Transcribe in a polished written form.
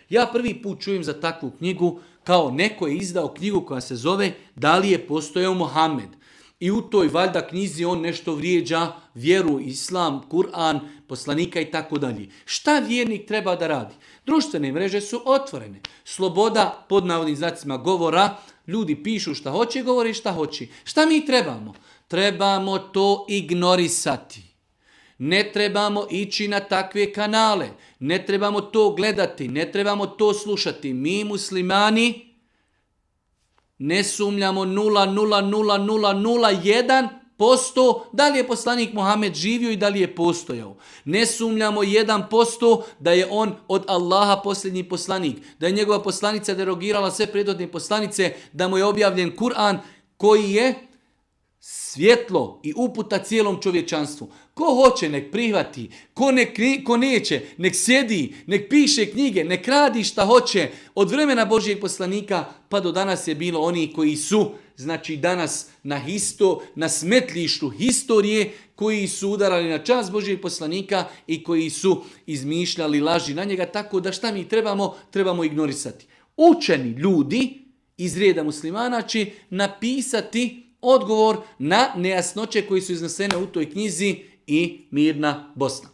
Ja prvi put čujem za takvu knjigu, kao neko je izdao knjigu koja se zove Da li je postojao Mohamed. I u toj valjda knjizi on nešto vrijeđa vjeru, islam, Kur'an, poslanika i tako dalje. Šta vjernik treba da radi? Društvene mreže su otvorene. Sloboda, pod navodnim znacima govora, ljudi pišu šta hoće, govore šta hoće. Šta mi trebamo? Trebamo to ignorisati. Ne trebamo ići na takve kanale. Ne trebamo to gledati. Ne trebamo to slušati. Mi muslimani ne sumnjamo 0,00001% da li je poslanik Muhammed živio i da li je postojao. Ne sumnjamo 1% da je on od Allaha posljednji poslanik. Da je njegova poslanica derogirala sve prethodne poslanice, da mu je objavljen Kur'an koji je svjetlo i uputa cijelom čovječanstvu. Ko hoće, nek prihvati. Ko neće, nek sjedi, nek piše knjige, nek radi šta hoće. Od vremena Božijeg poslanika pa do danas je bilo oni koji su, znači danas na smetlištu historije, koji su udarali na čast Božijeg poslanika i koji su izmišljali laži na njega. Tako da šta mi trebamo? Trebamo ignorisati. Učeni ljudi iz rijeda muslimana će napisati odgovor na nejasnoće koji su iznesene u toj knjizi i mirna Bosna.